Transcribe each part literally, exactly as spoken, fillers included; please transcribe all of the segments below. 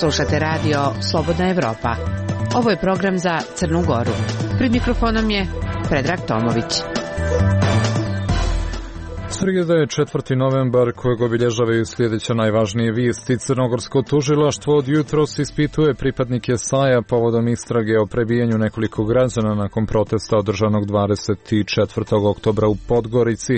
Slušate radio Slobodna Evropa. Ovo je program za Crnu Goru. Pred mikrofonom je Predrag Tomović. Srijeda je četvrti novembar kojeg obilježavaju sljedeće najvažnije vijesti. Crnogorsko tužilaštvo od jutros ispituje pripadnike S A J-a povodom istrage o prebijanju nekoliko građana nakon protesta održanog dvadeset četvrtog oktobra u Podgorici.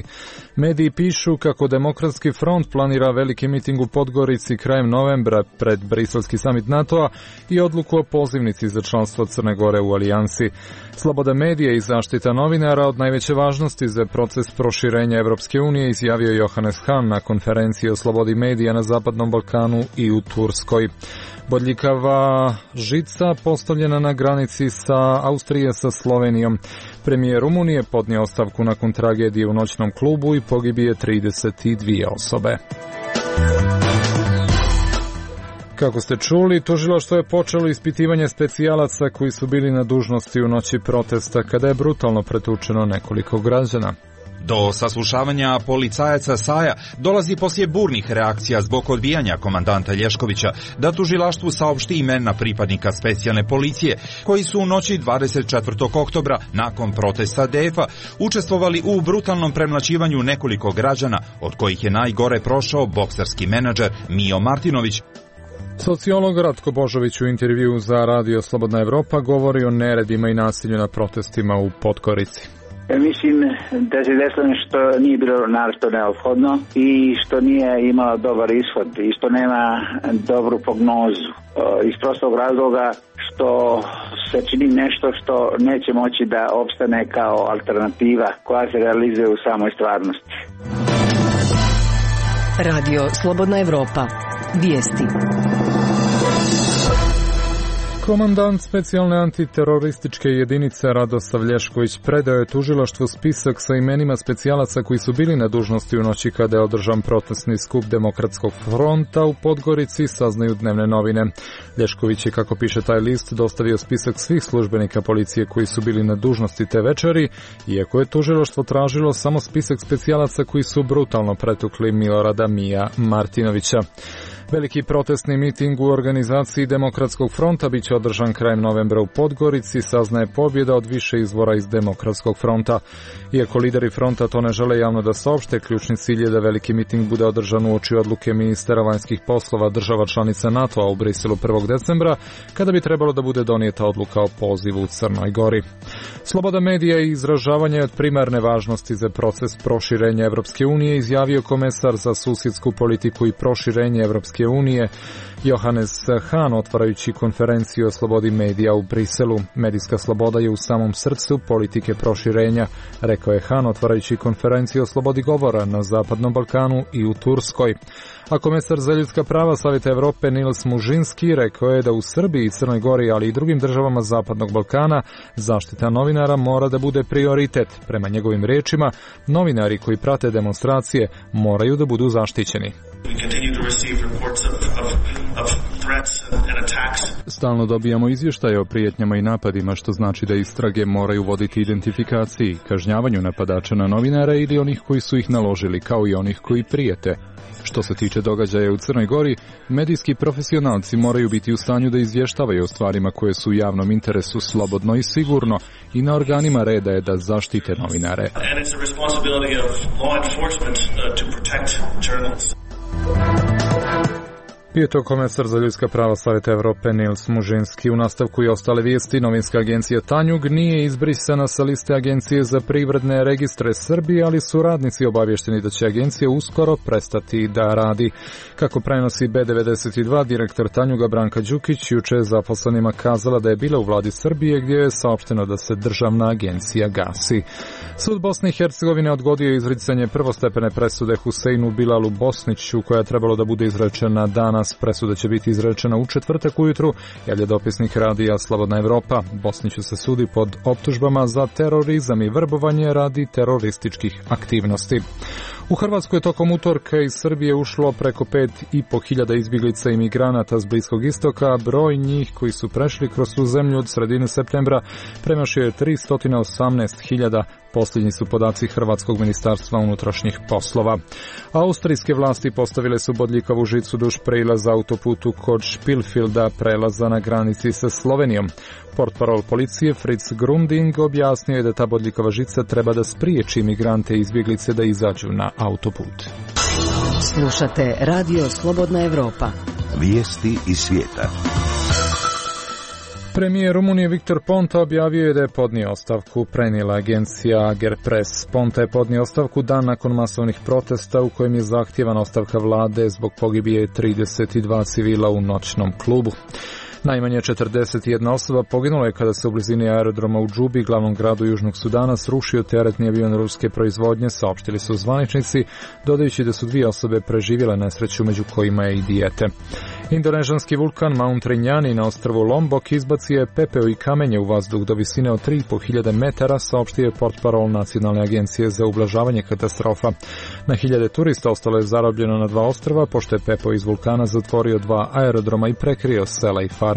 Mediji pišu kako Demokratski front planira veliki miting u Podgorici krajem novembra pred briselski samit NATO-a i odluku o pozivnici za članstvo Crne Gore u alijansi. Sloboda medija i zaštita novinara od najveće važnosti za proces proširenja Evropske unije, izjavio Johannes Hahn na konferenciji o slobodi medija na Zapadnom Balkanu i u Turskoj. Bodljikava žica postavljena na granici sa Austrije sa Slovenijom. Premijer Rumunije podnio ostavku nakon tragedije u noćnom klubu i pogibije trideset dvije osobe. Kako ste čuli, tužilaštvo je počelo ispitivanje specijalaca koji su bili na dužnosti u noći protesta kada je brutalno pretučeno nekoliko građana. Do saslušavanja policajaca S A J-a dolazi poslije burnih reakcija zbog odbijanja komandanta Lješkovića da tužilaštvu saopšti imena pripadnika specijalne policije koji su u noći dvadeset četvrtog oktobra nakon protesta D F-a učestvovali u brutalnom premlaćivanju nekoliko građana, od kojih je najgore prošao bokserski menadžer Mijo Martinović. Sociolog Ratko Božović u intervjuu za radio Slobodna Evropa govori o neredima i nasilju na protestima u Podgorici. Mislim da se desilo što nije bilo naročito neophodno i što nije imalo dobar ishod i što nema dobru prognozu. Iz prostog razloga što se čini nešto što neće moći da opstane kao alternativa koja se realizuje u samoj stvarnosti. Radio Slobodna Evropa. Vijesti. Komandant specijalne antiterorističke jedinice Radoslav Lješković predao je tužilaštvu spisak sa imenima specijalaca koji su bili na dužnosti u noći kada je održan protestni skup Demokratskog fronta u Podgorici, saznaju dnevne novine. Lješković je, kako piše taj list, dostavio spisak svih službenika policije koji su bili na dužnosti te večeri, iako je tužilaštvo tražilo samo spisak specijalaca koji su brutalno pretukli Milorada Mija Martinovića. Veliki protestni miting u organizaciji Demokratskog fronta bit će održan krajem novembra u Podgorici, saznaje pobjeda od više izvora iz Demokratskog fronta. Iako lideri fronta to ne žele javno da saopšte, ključni cilj je da veliki miting bude održan uoči odluke ministara vanjskih poslova država članica NATO-a u Briselu prvog decembra, kada bi trebalo da bude donijeta odluka o pozivu u Crnoj Gori. Sloboda medija i izražavanja je od primarne važnosti za proces proširenja Evropske unije, izjavio komesar za susjedsku politiku i proširenje Evropske unije Johannes Hahn, otvarajući konferenciju o slobodi medija u Briselu. Medijska sloboda je u samom srcu politike proširenja, rekao je Hahn, otvarajući konferenciju o slobodi govora na Zapadnom Balkanu i u Turskoj. A komesar za ljudska prava Savjeta Evrope Nils Mužinski rekao je da u Srbiji, Crnoj Gori, ali i drugim državama Zapadnog Balkana zaštita novinara mora da bude prioritet. Prema njegovim riječima, novinari koji prate demonstracije moraju da budu zaštićeni. Stalno dobijamo izvještaje o prijetnjama i napadima, što znači da istrage moraju voditi identifikaciji, kažnjavanju napadača na novinara ili onih koji su ih naložili, kao i onih koji prijete. Što se tiče događaja u Crnoj Gori, medijski profesionalci moraju biti u stanju da izvještavaju o stvarima koje su u javnom interesu slobodno i sigurno, i na organima reda je da zaštite novinare. I to komesar za ljudska prava Savjeta Evrope Nils Mužinski. U nastavku i ostale vijesti, novinska agencija Tanjug nije izbrisana sa liste Agencije za privredne registre Srbije, ali su radnici obavješteni da će agencija uskoro prestati da radi. Kako prenosi B devedeset dva, direktor Tanjuga Branka Đukić juče je zaposlenima kazala da je bila u vladi Srbije, gdje je saopšteno da se državna agencija gasi. Sud Bosne i Hercegovine odgodio je izricanje prvostepene presude Huseinu Bilalu Bosniću, koja je trebalo da bude izrečena danas. Presuda će biti izrečena u četvrtak ujutru, javlja dopisnik radija Slobodna Evropa. Bosniću se sudi pod optužbama za terorizam i vrbovanje radi terorističkih aktivnosti. U Hrvatskoj je tokom utorka iz Srbije ušlo preko pet i po hiljada izbjeglica i migranata s Bliskog istoka, broj njih koji su prešli kroz tu zemlju od sredine septembra premašio je tristo osamnaest hiljada. Posljednji su podaci Hrvatskog ministarstva unutrašnjih poslova. Austrijske vlasti postavile su bodljikavu žicu duž prelaza autoputu kod Špilfilda, prelaza na granici sa Slovenijom. Portparol policije Fritz Grunding objasnio je da ta bodljikava žica treba da spriječi migrante i izbjeglice da izađu na autoput. Slušate Radio Slobodna Evropa. Vijesti iz svijeta. Premijer Rumunije Viktor Ponta objavio je da je podnio ostavku, prenijela agencija Agerpres. Ponta je podnio ostavku dan nakon masovnih protesta u kojem je zahtjevana ostavka vlade zbog pogibije trideset dva civila u noćnom klubu. Najmanje četrdeset jedna osoba poginula je kada se u blizini aerodroma u Džubi, glavnom gradu Južnog Sudana, srušio teretni avion ruske proizvodnje, saopštili su zvaničnici, dodajući da su dvije osobe preživjele nesreću, među kojima je i dijete. Indonežanski vulkan Mount Rinjani na ostrvu Lombok izbacio je pepeo i kamenje u vazduh do visine od tri i po hiljade metara, saopštio je portparol Nacionalne agencije za ublažavanje katastrofa. Na hiljade turista ostalo je zarobljeno na dva ostrva, pošto je pepeo iz vulkana zatvorio dva aerodroma i prekrio sela i farme.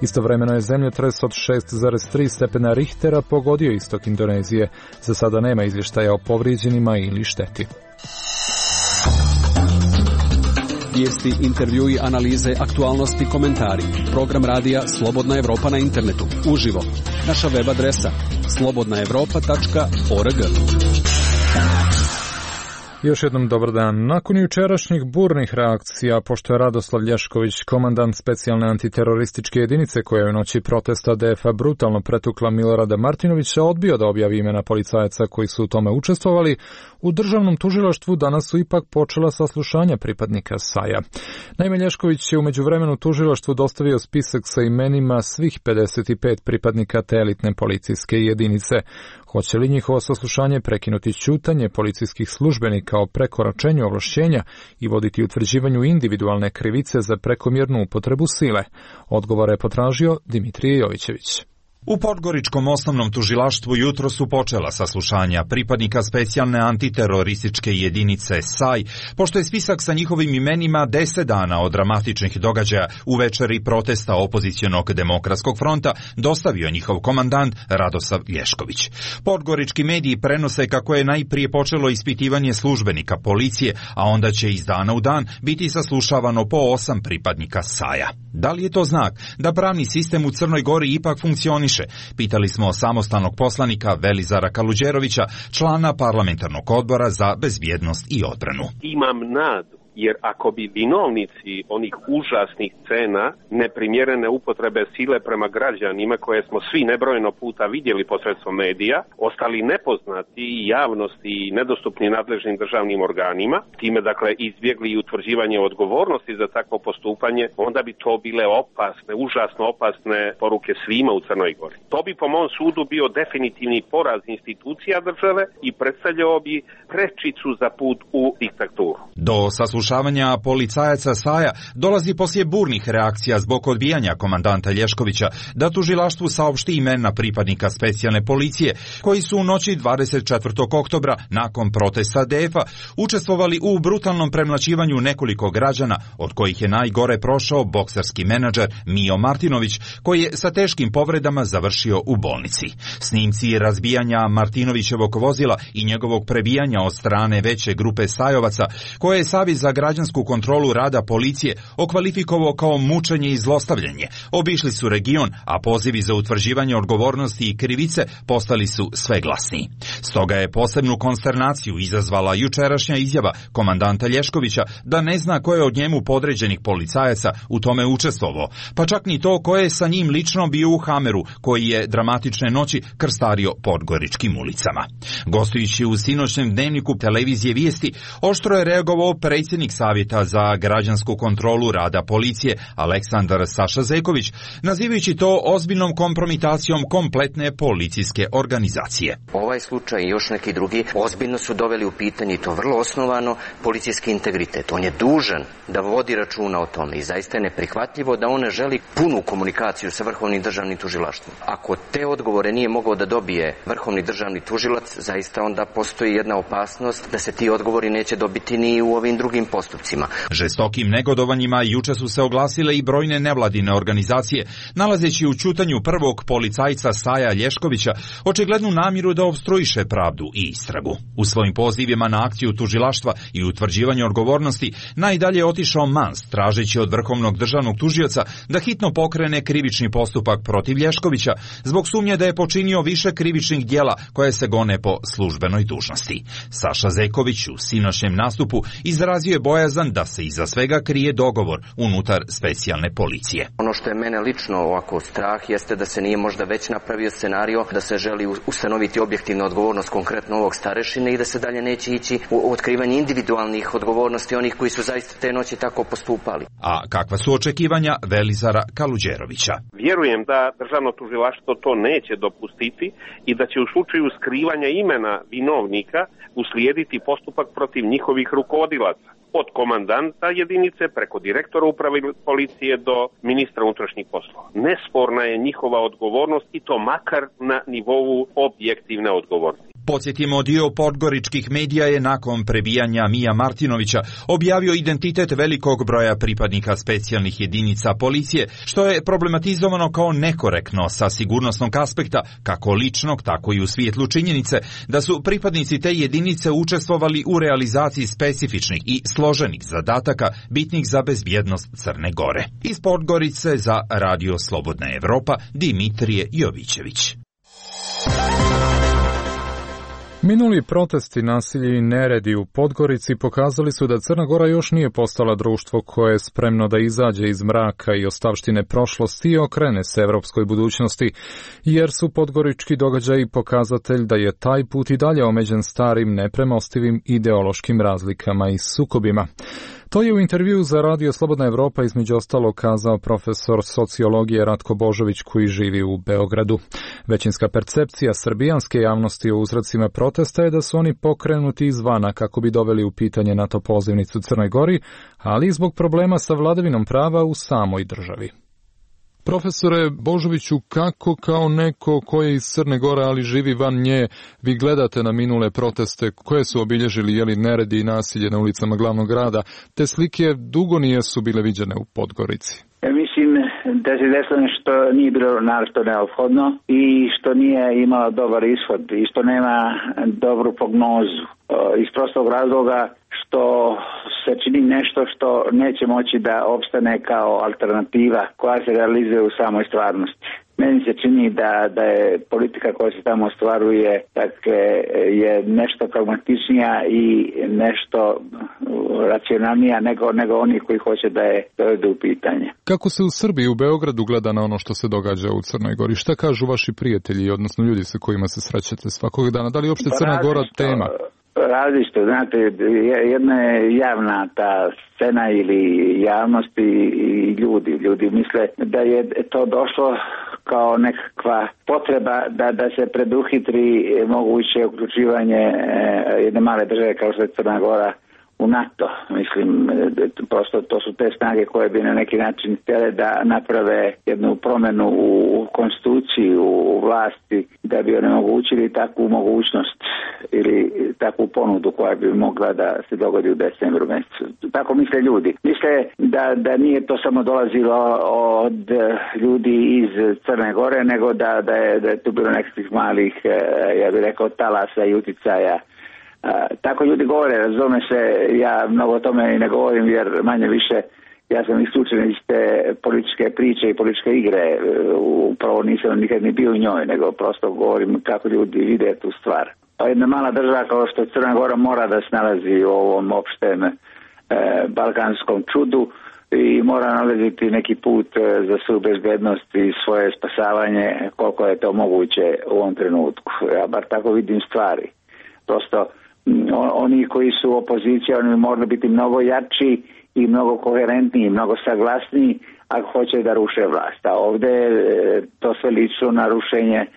Istovremeno je zemljotres od šest zarez tri stepena Richtera pogodio istok Indonezije. Za sada nema izvještaja o povrijeđenima ili šteti. Vijesti, intervjui, analize, aktualnosti, komentari. Program radija Slobodna Evropa na internetu. Uživo. Naša web adresa slobodna evropa tačka org. Još jednom dobar dan. Nakon jučerašnjih burnih reakcija, pošto je Radoslav Lješković, komandant specijalne antiterorističke jedinice koja je u noći protesta D F A brutalno pretukla Milorada Martinovića, odbio da objavi imena policajaca koji su u tome učestvovali, u državnom tužilaštvu danas su ipak počela saslušanja pripadnika S A J-a. Naime, Lješković je u međuvremenu tužilaštvu dostavio spisak sa imenima svih pedeset pet pripadnika te elitne policijske jedinice. Hoće li njihovo saslušanje prekinuti ćutanje policijskih službenika o prekoračenju ovlašćenja i voditi utvrđivanju individualne krivice za prekomjernu upotrebu sile? Odgovore je potražio Dimitrije Jovićević. U Podgoričkom osnovnom tužilaštvu jutro su počela saslušanja pripadnika specijalne antiterorističke jedinice S A J, pošto je spisak sa njihovim imenima deset dana od dramatičnih događaja u večeri protesta opozicionog demokratskog fronta dostavio njihov komandant Radoslav Lješković. Podgorički mediji prenose kako je najprije počelo ispitivanje službenika policije, a onda će iz dana u dan biti saslušavano po osam pripadnika S A J-a. Da li je to znak da pravni sistem u Crnoj Gori ipak funkcioniše? Pitali smo samostalnog poslanika Velizara Kaluđerovića, člana parlamentarnog odbora za bezbjednost i odbranu. Imam nadu, jer ako bi vinovnici onih užasnih scena neprimjerene upotrebe sile prema građanima, koje smo svi nebrojeno puta vidjeli posredstvom medija, ostali nepoznati i javnosti i nedostupni nadležnim državnim organima, time dakle izbjegli i utvrđivanje odgovornosti za takvo postupanje, onda bi to bile opasne, užasno opasne poruke svima u Crnoj Gori. To bi po mom sudu bio definitivni poraz institucija države i predstavljao bi prečicu za put u diktaturu. Do saslušavanja policajaca S A J-a dolazi poslije burnih reakcija zbog odbijanja komandanta Lješkovića da tužilaštvu saopšti imena pripadnika specijalne policije koji su u noći dvadeset četvrtog oktobra nakon protesta D F A učestvovali u brutalnom premlaćivanju nekoliko građana, od kojih je najgore prošao bokserski menadžer Mio Martinović, koji je sa teškim povredama završio u bolnici. Snimci razbijanja Martinovićevog vozila i njegovog prebijanja od strane veće grupe stajovaca, koje je Savez za građansku kontrolu rada policije okvalifikovao kao mučenje i zlostavljanje, obišli su region, a pozivi za utvrđivanje odgovornosti i krivice postali su sve glasniji. Stoga je posebnu konsternaciju izazvala jučerašnja izjava komandanta Lješkovića da ne zna ko je od njemu podređenih policajaca u tome učestvovao, pa čak ni to ko je sa njim lično bio u Hameru, koji je dramatične noći krstario podgoričkim ulicama. Gostujući u sinoćnem dnevniku televizije Vijesti, oštro je reagovao predsjednik predsjednik Savjeta za građansku kontrolu rada policije Aleksandar Saša Zeković, nazivajući to ozbiljnom kompromitacijom kompletne policijske organizacije. Ovaj slučaj i još neki drugi ozbiljno su doveli u pitanje, i to vrlo osnovano, policijski integritet. On je dužan da vodi računa o tome i zaista je neprihvatljivo da on ne želi punu komunikaciju sa Vrhovnim državnim tužilaštvom. Ako te odgovore nije mogao da dobije Vrhovni državni tužilac, zaista onda postoji jedna opasnost da se ti odgovori neće dobiti ni u ovim drugim postupcima. Žestokim negodovanjima juče su se oglasile i brojne nevladine organizacije, nalazeći u ćutanju prvog policajca Saja Lješkovića očiglednu namjeru da opstruiše pravdu i istragu. U svojim pozivima na akciju tužilaštva i utvrđivanje odgovornosti najdalje je otišao Mans, tražeći od Vrhovnog državnog tužioca da hitno pokrene krivični postupak protiv Lješkovića zbog sumnje da je počinio više krivičnih djela koje se gone po službenoj dužnosti. Saša Zeković u sinoćnjem nastupu izrazio je bojazan da se iza svega krije dogovor unutar specijalne policije. Ono što je mene lično ovako strah jeste da se nije možda već napravio scenario da se želi ustanoviti objektivna odgovornost konkretno ovog starešine i da se dalje neće ići u otkrivanje individualnih odgovornosti onih koji su zaista te noći tako postupali. A kakva su očekivanja Velizara Kaluđerovića? Vjerujem da državno tužilaštvo to neće dopustiti i da će u slučaju skrivanja imena vinovnika uslijediti postupak protiv njihovih rukovodilaca. Od komandanta jedinice preko direktora uprave policije do ministra unutrašnjih poslova. Nesporna je njihova odgovornost i to makar na nivou objektivne odgovornosti. Podsjetimo, dio podgoričkih medija je nakon prebijanja Mija Martinovića objavio identitet velikog broja pripadnika specijalnih jedinica policije, što je problematizovano kao nekorektno sa sigurnosnog aspekta, kako ličnog, tako i u svjetlu činjenice da su pripadnici te jedinice učestvovali u realizaciji specifičnih i složenih zadataka bitnih za bezbjednost Crne Gore. Iz Podgorice za Radio Slobodna Evropa, Dimitrije Jovićević. Minuli protesti, nasilje i neredi u Podgorici pokazali su da Crna Gora još nije postala društvo koje je spremno da izađe iz mraka i ostavštine prošlosti i okrene se evropskoj budućnosti, jer su podgorički događaji pokazatelj da je taj put i dalje omeđen starim, nepremostivim ideološkim razlikama i sukobima. To je u intervjuu za Radio Slobodna Evropa između ostalo kazao profesor sociologije Ratko Božović koji živi u Beogradu. Većinska percepcija srbijanske javnosti o uzrocima protesta je da su oni pokrenuti izvana kako bi doveli u pitanje NATO pozivnicu Crnoj Gori, ali i zbog problema sa vladavinom prava u samoj državi. Profesore Božoviću, kako kao neko ko je iz Crne Gore, ali živi van nje, vi gledate na minule proteste koje su obilježili jeli neredi i nasilje na ulicama glavnog grada? Te slike dugo nisu bile viđene u Podgorici. Ja mislim da se desilo što nije bilo naročito neophodno i što nije imalo dobar ishod i što nema dobru prognozu. Iz prostog razloga što se čini nešto što neće moći da opstane kao alternativa koja se realizuje u samoj stvarnosti. Meni se čini da, da je politika koja se tamo ostvaruje dakle, je nešto pragmatičnija i nešto racionalnija nego, nego oni koji hoće da je dovedu u pitanje. Kako se u Srbiji, u Beogradu gleda na ono što se događa u Crnoj Gori? Šta kažu vaši prijatelji, odnosno ljudi sa kojima se srećete svakog dana? Da li je uopšte Crna Gora tema? Različito, znate, jedna je javna ta scena ili javnost i ljudi. Ljudi misle da je to došlo kao nekakva potreba da, da se preduhitri moguće uključivanje jedne male države kao što je Crna Gora u NATO. Mislim, prosto to su te snage koje bi na neki način htjele da naprave jednu promjenu u konstituciji, u vlasti, da bi onemogućili takvu mogućnost ili takvu ponudu koja bi mogla da se dogodi u decembru mjesecu. Tako misle ljudi. Misle da, da nije to samo dolazilo od ljudi iz Crne Gore, nego da, da, je, da je tu bilo nekakvih malih, ja bih rekao, talasa i uticaja. Uh, tako ljudi govore, razume se, ja mnogo o tome i ne govorim jer manje više ja sam isključen iz te političke priče i političke igre, uh, upravo nisam nikad ni bio u njoj, nego prosto govorim kako ljudi vide tu stvar. Pa jedna mala država kao što je Crna Gora mora da se nalazi u ovom opštem uh, balkanskom čudu i mora nalaziti neki put uh, za svoju bezbednost i svoje spasavanje koliko je to moguće u ovom trenutku. Ja bar tako vidim stvari. Prosto oni koji su opozicija, oni moraju biti mnogo jači i mnogo koherentniji, mnogo saglasniji ako hoće da ruše vlast. A ovde to sve lično na rušenje e,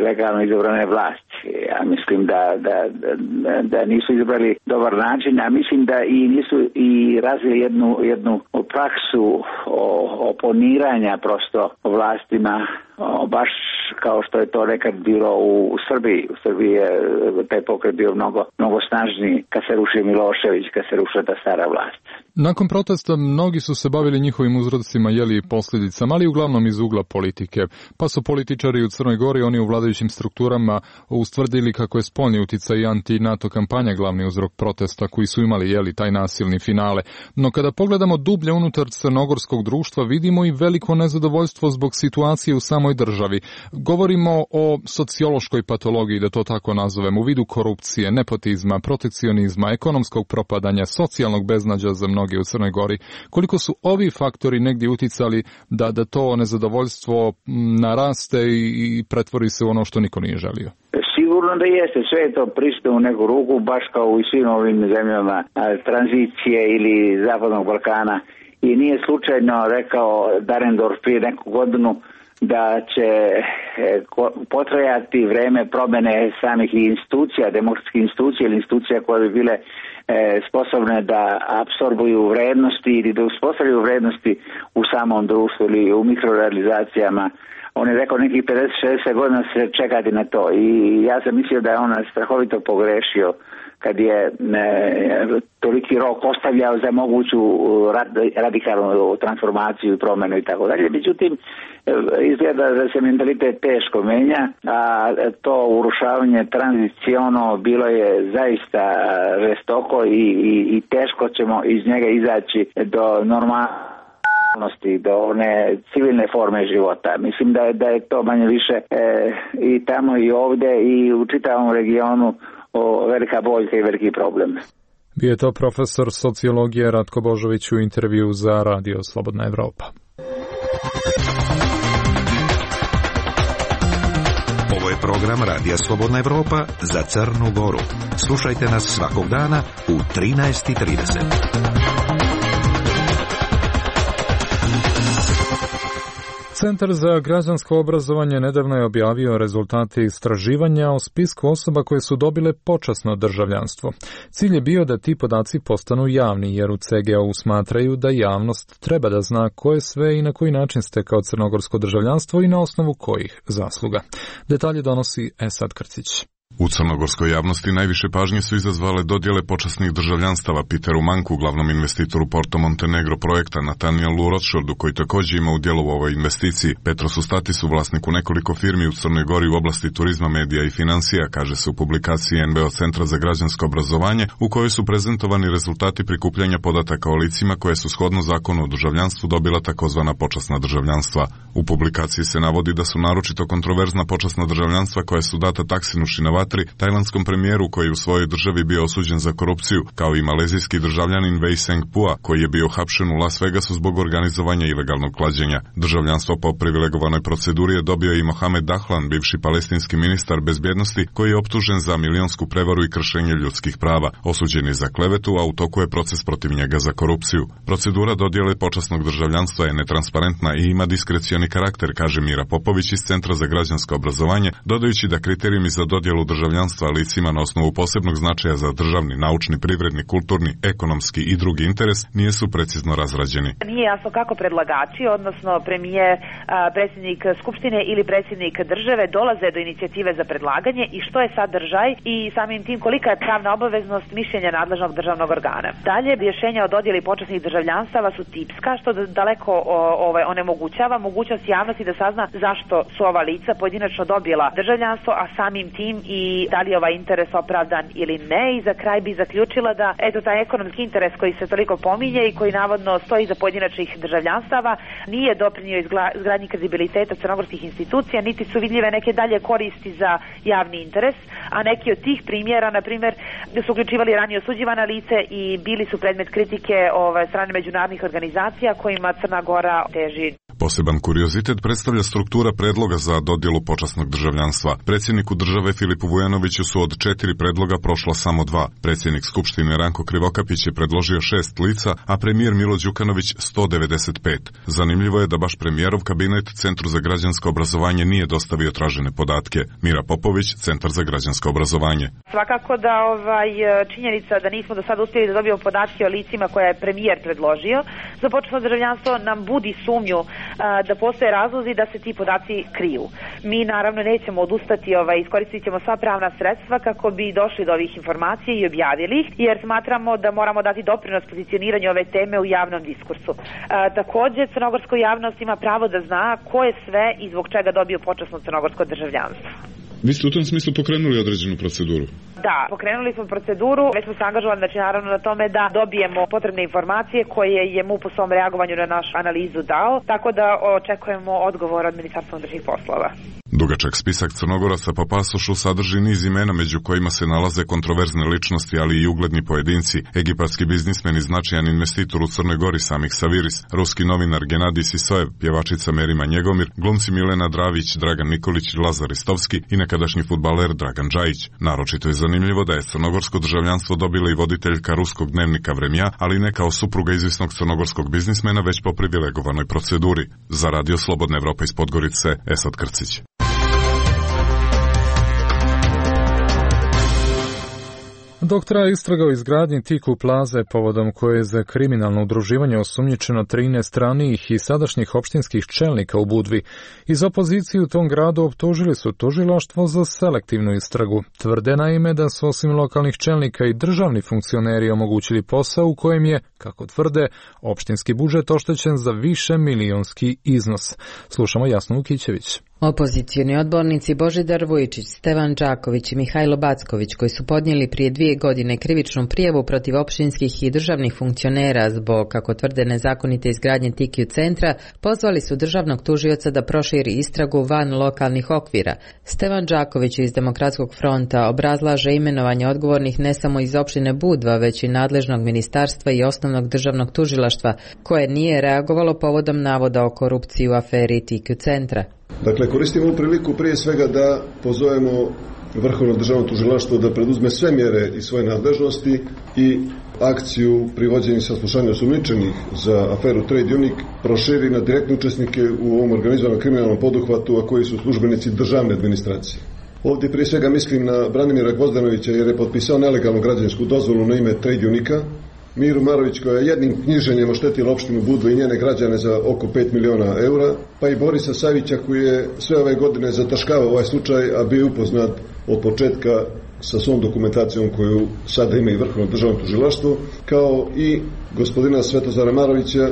legalno izabrane vlasti. Ja mislim da, da, da, da nisu izabrali dobar način, a mislim da i nisu i razvili jednu, jednu praksu oponiranja prosto vlastima, o, baš kao što je to nekad bilo u, u Srbiji. U Srbiji je taj pokret bio mnogo, mnogo snažniji kad se ruši Milošević, kad se ruši ta stara vlast. Nakon protesta mnogi su se bavili njihovim uzrocima, jeli i posljedicama, ali uglavnom iz ugla politike. Pa su političari u Crnoj Gori, oni u vladajućim strukturama, ustvrdili kako je spoljni uticaj i anti-NATO kampanja glavni uzrok protesta koji su imali jeli taj nasilni finale. No kada pogledamo dublje unutar crnogorskog društva, vidimo i veliko nezadovoljstvo zbog situacije u samoj državi. Govorimo o sociološkoj patologiji, da to tako nazovem, u vidu korupcije, nepotizma, protekcionizma, ekonomskog propadanja, socijalnog beznađa za mnoge u Crnoj Gori. Koliko su ovi faktori negdje uticali da, da to nezadovoljstvo naraste i, i pretvori se u ono što niko nije želio? Sigurno da jeste, sve je to prisutno u neku ruku, baš kao u svim ovim zemljama tranzicije ili Zapadnog Balkana. I nije slučajno rekao Dahrendorf prije neku godinu da će potrajati vreme promjene samih institucija, demokratskih institucija ili institucija koje bi bile sposobne da apsorbuju vrednosti ili da uspostavljaju vrednosti u samom društvu ili u mikrorealizacijama. On je rekao nekih pedeset šezdeset godina se čekati na to i ja sam mislio da je on strahovito pogrešio kad je e, toliki rok ostavljao za moguću rad, radikalnu transformaciju i promjenu i tako dalje. Međutim, izgleda da se mentalitet teško menja, a to urušavanje tranziciono bilo je zaista žestoko i, i, i teško ćemo iz njega izaći do normalnosti, do one civilne forme života. Mislim da je, da je to manje više e, i tamo i ovdje i u čitavom regionu o, velika boljka i veliki problem. Bio je to profesor sociologije Ratko Božović u intervju za Radio Slobodna Evropa. Ovo je program Radija Slobodna Evropa za Crnu Goru. Slušajte nas svakog dana u trinaest i trideset. Centar za građansko obrazovanje nedavno je objavio rezultate istraživanja o spisku osoba koje su dobile počasno državljanstvo. Cilj je bio da ti podaci postanu javni, jer u C G O-u smatraju da javnost treba da zna ko je sve i na koji način stekao crnogorsko državljanstvo i na osnovu kojih zasluga. Detalje donosi Esad Krcić. U crnogorskoj javnosti najviše pažnje su izazvale dodjele počasnih državljanstava Peteru Manku, glavnom investitoru Porto Montenegro projekta, Nathanielu Rothschildu, koji također ima udjel u ovoj investiciji, Petrosu Statisu, vlasniku nekoliko firmi u Crnoj Gori u oblasti turizma, medija i financija, kaže se u publikaciji N B O Centra za građansko obrazovanje, u kojoj su prezentovani rezultati prikupljanja podataka o licima koje su shodno zakonu o državljanstvu dobila takozvana počasna državljanstva. U publikaciji se navodi da su naročito kontroverzna počasna državljanstva koja su data Taksinu Shinawatra, tajlandskom premijeru koji u svojoj državi bio osuđen za korupciju, kao i malezijski državljanin Wei Seng-pua koji je bio hapšen u Las Vegasu zbog organizovanja ilegalnog klađenja. Državljanstvo po privilegovanoj proceduri je dobio i Mohamed Dahlan, bivši palestinski ministar bezbjednosti, koji je optužen za milionsku prevaru i kršenje ljudskih prava. Osuđen je za klevetu, a u toku je proces protiv njega za korupciju. Procedura dodjele počasnog državljanstva je netransparentna i ima diskrecioni karakter, kaže Mira Popović iz Centra za građansko obrazovanje, dodajući da kriterijumi za dodjelu državljanstva licima na osnovu posebnog značaja za državni, naučni, privredni, kulturni, ekonomski i drugi interes nisu precizno razrađeni. Nije jasno kako predlagači, odnosno premijer, predsjednik Skupštine ili predsjednik države dolaze do inicijative za predlaganje i što je sadržaj i samim tim kolika je pravna obaveznost mišljenja nadležnog državnog organa. Dalje, rješenja o dodjeli počasnih državljanstava su tipska, što daleko ovaj, onemogućava mogućnost javnosti da sazna zašto su ova lica pojedinačno dobila državljanstvo, a samim tim i da li je ovaj interes opravdan ili ne. I za kraj bi zaključila da eto taj ekonomski interes koji se toliko pominje i koji navodno stoji za pojedinačnih državljanstava nije doprinio izgradnji kredibiliteta crnogorskih institucija, niti su vidljive neke dalje koristi za javni interes, a neki od tih primjera, na primjer, da su uključivali ranije osuđivana lice i bili su predmet kritike ove strane međunarodnih organizacija kojima Crna Gora teži. Poseban kuriozitet predstavlja struktura predloga za dodjelu počasnog državljanstva. Predsjedniku države Filipu Vujanoviću su od četiri predloga prošla samo dva. Predsjednik Skupštine Ranko Krivokapić je predložio šest lica, a premijer Milo Đukanović sto devedeset pet. Zanimljivo je da baš premijerov kabinet Centru za građansko obrazovanje nije dostavio tražene podatke. Mira Popović, Centar za građansko obrazovanje. Svakako da ovaj činjenica da nismo do sada uspjeli da dobijemo podatke o licima koje je premijer predložio za počasno državljanstvo nam budi sumnju a, da postoje razlozi da se ti podaci kriju. Mi naravno nećemo odustati, ovaj, iskoristit ćemo sva pravna sredstva kako bi došli do ovih informacija i objavili ih, jer smatramo da moramo dati doprinos pozicioniranju ove teme u javnom diskursu. A, također, crnogorska javnost ima pravo da zna ko je sve i zbog čega dobio počasno crnogorsko državljanstvo. Vi ste u tom smislu pokrenuli određenu proceduru? Da, pokrenuli smo proceduru, već smo se angažovali, znači naravno na tome da dobijemo potrebne informacije koje je M U P u svom reagovanju na našu analizu dao, tako da očekujemo odgovor od Ministarstva unutrašnjih poslova. Dugačak spisak Crnogoraca po pasošu sadrži niz imena među kojima se nalaze kontroverzne ličnosti, ali i ugledni pojedinci, egipatski biznismen i značajan investitor u Crnoj Gori Samih Saviris, ruski novinar Genadij Sisojev, pjevačica Merima Njegomir, glumci Milena Dravić, Dragan Nikolić, Lazar Ristovski i nekadašnji fudbaler Dragan Džajić. Naročito je zanimljivo da je crnogorsko državljanstvo dobila i voditeljka ruskog dnevnika Vremja, ali ne kao supruga izvisnog crnogorskog biznismena, već po privilegovanoj proceduri. Za Radio Slobodna Evropa iz Podgorice, Esad Krcić. Dok traje istraga o izgradnji Tiku plaze povodom koje je za kriminalno udruživanje osumnjičeno trinaest ranijih i sadašnjih opštinskih čelnika u Budvi, iz opozicije u tom gradu optužili su tužilaštvo za selektivnu istragu. Tvrde naime da su osim lokalnih čelnika i državni funkcioneri omogućili posao u kojem je, kako tvrde, opštinski budžet oštećen za više milionski iznos. Slušamo Jasnu Ukićević. Opozicioni odbornici Božidar Vujčić, Stevan Đaković i Mihajlo Backović, koji su podnijeli prije dvije godine krivičnu prijavu protiv opštinskih i državnih funkcionera zbog, kako tvrde, nezakonite izgradnje Tikiju centra, pozvali su državnog tužioca da proširi istragu van lokalnih okvira. Stevan Đaković iz Demokratskog fronta obrazlaže imenovanje odgovornih ne samo iz opštine Budva, već i nadležnog ministarstva i osnovnog državnog tužilaštva, koje nije reagovalo povodom navoda o korupciji u aferi Tikiju centra. Dakle, koristimo ovu priliku prije svega da pozovemo Vrhovno državno tužilaštvo da preduzme sve mjere iz svoje nadležnosti i akciju privođenja i saslušanja osumnjičenih za aferu Trade Unique proširi na direktne učesnike u ovom organizovanom kriminalnom poduhvatu, a koji su službenici državne administracije. Ovdje prije svega mislim na Branimira Gvozdanovića, jer je potpisao nelegalnu građevinsku dozvolu na ime Trade Unique-a, Miru Marović, koja je jednim knjiženjem oštetila opštinu Budvu i njene građane za oko pet miliona eura, pa i Borisa Savića, koji je sve ove godine zataškavao ovaj slučaj, a bio upoznat od početka sa svom dokumentacijom koju sada ima i Vrhovno državno tužilaštvo, kao i gospodina Svetozara Marovića,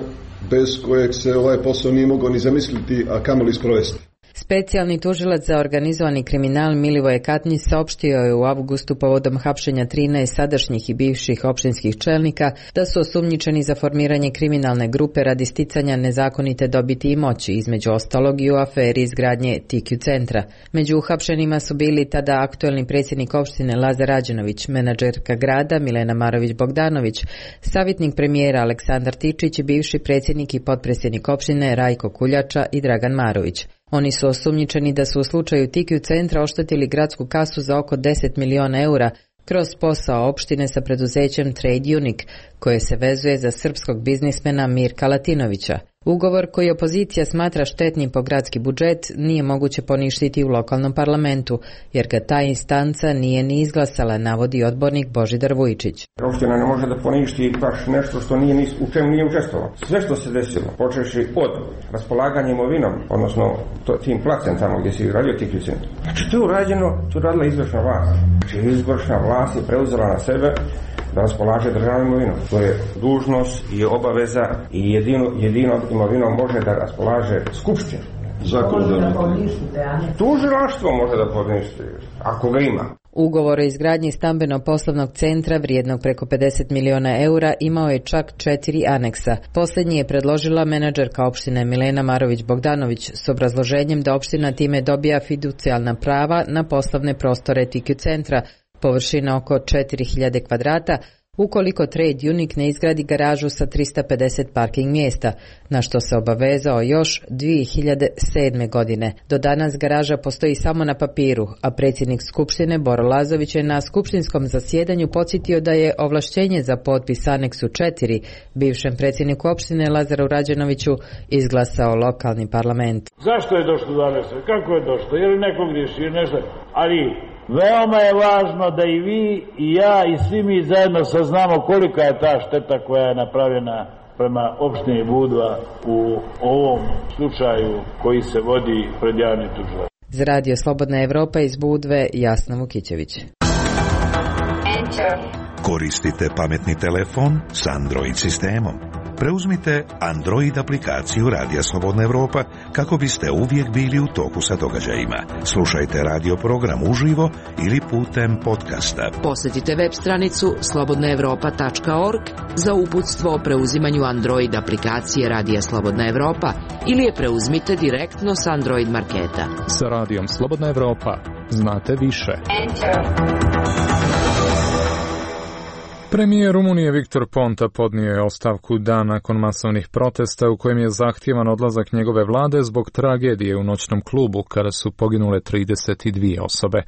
bez kojeg se ovaj posao nije mogao ni zamisliti, a kamoli sprovesti. Specijalni tužilac za organizovani kriminal Milivoje Katnić saopštio je u avgustu povodom hapšenja trinaest sadašnjih i bivših opštinskih čelnika da su osumnjičeni za formiranje kriminalne grupe radi sticanja nezakonite dobiti i moći, između ostalog i u aferi izgradnje Tikiju centra. Među uhapšenima su bili tada aktuelni predsjednik opštine Lazar Rađenović, menadžerka grada Milena Marović Bogdanović, savjetnik premijera Aleksandar Tičić i bivši predsjednik i potpredsjednik opštine Rajko Kuljača i Dragan Marović. Oni su osumnjičeni da su u slučaju Tikiju centra oštetili gradsku kasu za oko deset miliona eura kroz posao opštine sa preduzećem Trade Unique, koje se vezuje za srpskog biznismena Mirka Latinovića. Ugovor koji opozicija smatra štetnim po gradski budžet nije moguće poništiti u lokalnom parlamentu, jer ga ta instanca nije ni izglasala, navodi odbornik Božidar Vujčić. Opština ne može da poništi baš nešto što nije, u čemu nije učestvovalo. Sve što se desilo, počeši od raspolaganja imovinom, odnosno to, tim placem tamo gdje se izgradio Tikiju centar. Znači to je urađeno, to je radila izvršna vlast. Znači izvršna vlast je preuzela na sebe da raspolaže državnom imovinom. To je dužnost i obaveza i jedino, jedino imovinom može da raspolaže skupština. Tužilaštvo može da poništi, ako ga ima. Ugovor o izgradnji stambeno-poslovnog centra vrijednog preko pedeset miliona eura imao je čak četiri aneksa. Posljednji je predložila menadžerka opštine Milena Marović Bogdanović s obrazloženjem da opština time dobija fiducijalna prava na poslovne prostore Tikiju centra, površina oko četiri hiljade kvadrata, ukoliko Trade Unique ne izgradi garažu sa tristo pedeset parking mjesta, na što se obavezao još dvije hiljade sedme. godine. Do danas garaža postoji samo na papiru, a predsjednik Skupštine Boro Lazović je na skupštinskom zasjedanju podsjetio da je ovlašćenje za potpis aneksu četiri bivšem predsjedniku opštine Lazaru Rađenoviću izglasao lokalni parlament. Zašto je došlo do aneksa? Kako je došlo? Je li neko griši? Nešto? Ali veoma je važno da i vi i ja i svi mi zajedno saznamo kolika je ta šteta koja je napravljena prema opštini Budva u ovom slučaju koji se vodi pred javnim tužilaštvom. Za Radio Slobodna Evropa iz Budve, Jasna Vukićević. Koristite pametni telefon s Android sistemom. Preuzmite Android aplikaciju Radija Slobodna Evropa kako biste uvijek bili u toku sa događajima. Slušajte radio program uživo ili putem podcasta. Posjetite web stranicu slobodna evropa tačka org za uputstvo o preuzimanju Android aplikacije Radija Slobodna Evropa ili je preuzmite direktno s Android marketa. Sa Radijom Slobodna Evropa znate više. Premijer Rumunije Viktor Ponta podnio je ostavku dan nakon masovnih protesta u kojem je zahtjevan odlazak njegove vlade zbog tragedije u noćnom klubu kada su poginule trideset dvije osobe.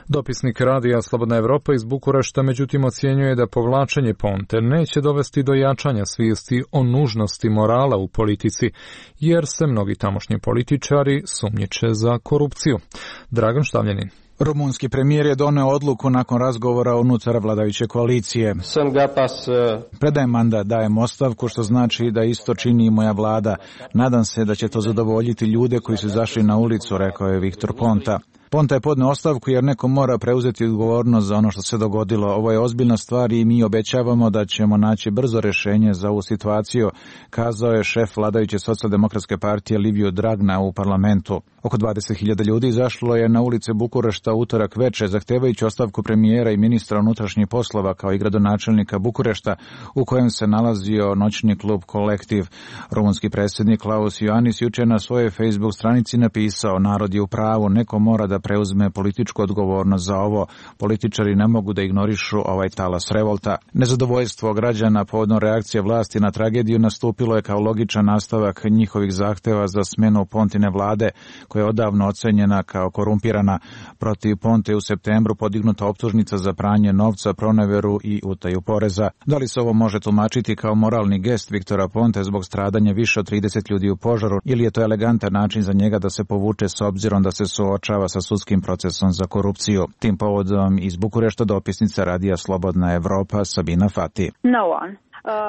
Dopisnik Radija Slobodna Evropa iz Bukurešta međutim ocjenjuje da povlačenje Ponte neće dovesti do jačanja svijesti o nužnosti morala u politici, jer se mnogi tamošnji političari sumnjiče za korupciju. Dragan Štavljanin. Rumunski premijer je doneo odluku nakon razgovora unutar vladajuće koalicije. Predajem mandat, dajem ostavku, što znači da isto čini i moja vlada. Nadam se da će to zadovoljiti ljude koji su izašli na ulicu, rekao je Viktor Ponta. Ponta je podneo ostavku jer neko mora preuzeti odgovornost za ono što se dogodilo. Ovo je ozbiljna stvar i mi obećavamo da ćemo naći brzo rješenje za ovu situaciju, kazao je šef vladajuće socijaldemokratske partije Liviu Dragna u parlamentu. Oko dvadeset hiljada ljudi izašlo je na ulice Bukurešta utorak veče, zahtevajući ostavku premijera i ministra unutrašnjih poslova kao i gradonačelnika Bukurešta, u kojem se nalazio noćni klub Kolektiv. Rumunski predsjednik Klaus Iohannis juče na svojoj Facebook stranici napisao: narod je u pravu, neko mora da preuzme političku odgovornost za ovo. Političari ne mogu da ignorišu ovaj talas revolta. Nezadovoljstvo građana povodom reakcije vlasti na tragediju nastupilo je kao logičan nastavak njihovih zahteva za smjenu Pontine vlade, koja je odavno ocenjena kao korumpirana. Protiv Ponte u septembru podignuta optužnica za pranje novca, proneveru i utaju poreza. Da li se ovo može tumačiti kao moralni gest Viktora Ponte zbog stradanja više od trideset ljudi u požaru, ili je to elegantan način za njega da se povuče s obzirom da se suočava sa sudskim procesom za korupciju? Tim povodom iz Bukurešta dopisnica Radija Slobodna Evropa Sabina Fati. No one.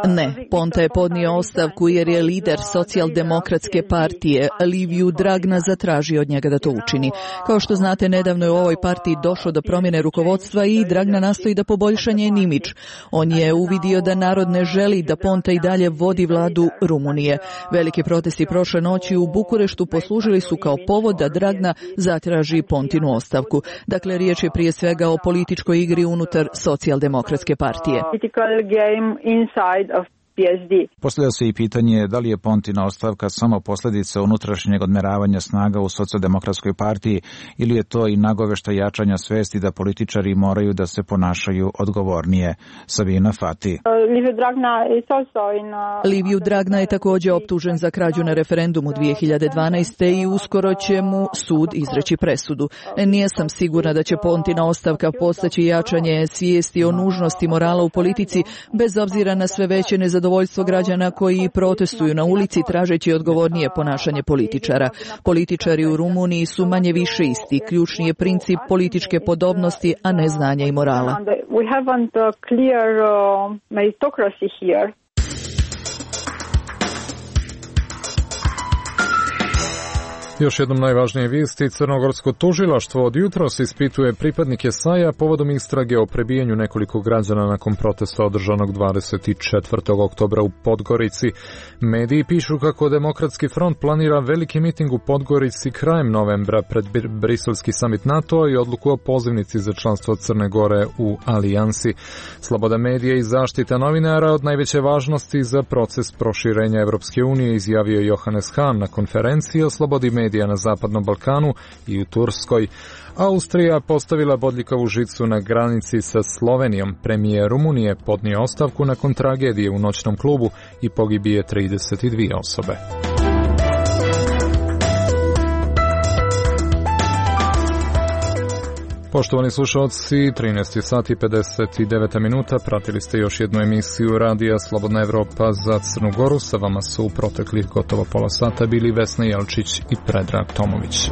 Ne, Ponta je podnio ostavku jer je lider socijaldemokratske partije Liviu Dragna zatražio od njega da to učini. Kao što znate, nedavno je u ovoj partiji došlo do promjene rukovodstva i Dragna nastoji da poboljša njen imidž. On je uvidio da narod ne želi da Ponta i dalje vodi vladu Rumunije. Veliki protesti prošle noći u Bukureštu poslužili su kao povod da Dragna zatraži Pontinu ostavku. Dakle, riječ je prije svega o političkoj igri unutar socijaldemokratske partije. Of P S D. Postavlja se i pitanje da li je Pontina ostavka samo posljedica unutrašnjeg odmeravanja snaga u socijaldemokratskoj partiji ili je to i nagovešta jačanja svesti da političari moraju da se ponašaju odgovornije. Sabina Fati. Liviu Dragna je također optužen za krađu na referendumu dvije hiljade dvanaeste. i uskoro će mu sud izreći presudu. Nije sam sigurna da će Pontina ostavka postaći jačanje svijesti o nužnosti morala u politici, bez obzira na sve veće nezadovoljstvo zadovoljstvo građana koji protestuju na ulici tražeći odgovornije ponašanje političara. Političari u Rumuniji su manje više isti. Ključni je princip političke podobnosti, a ne znanja i morala. We haven't a clear uh, meritocracy here. Još jednom najvažnije vijesti, crnogorsko tužilaštvo od jutros ispituje pripadnike S A J-a povodom istrage o prebijanju nekoliko građana nakon protesta održanog dvadeset četvrtog oktobra u Podgorici. Mediji pišu kako Demokratski front planira veliki miting u Podgorici krajem novembra pred briselski samit NATO i odluku o pozivnici za članstvo Crne Gore u alijansi. Sloboda medija i zaštita novinara od najveće važnosti za proces proširenja Evropske unije, izjavio Johannes Hahn na konferenciji o slobodi medija medija na Zapadnom Balkanu i u Turskoj. Austrija postavila bodljikavu žicu na granici sa Slovenijom. Premijer Rumunije podnio ostavku nakon tragedije u noćnom klubu i pogibije trideset dvije osobe. Poštovani slušalci, trinaest sati i pedeset devet minuta, pratili ste još jednu emisiju Radija Slobodna Evropa za Crnu Goru. Sa vama su u proteklih gotovo pola sata bili Vesna Jelčić i Predrag Tomović.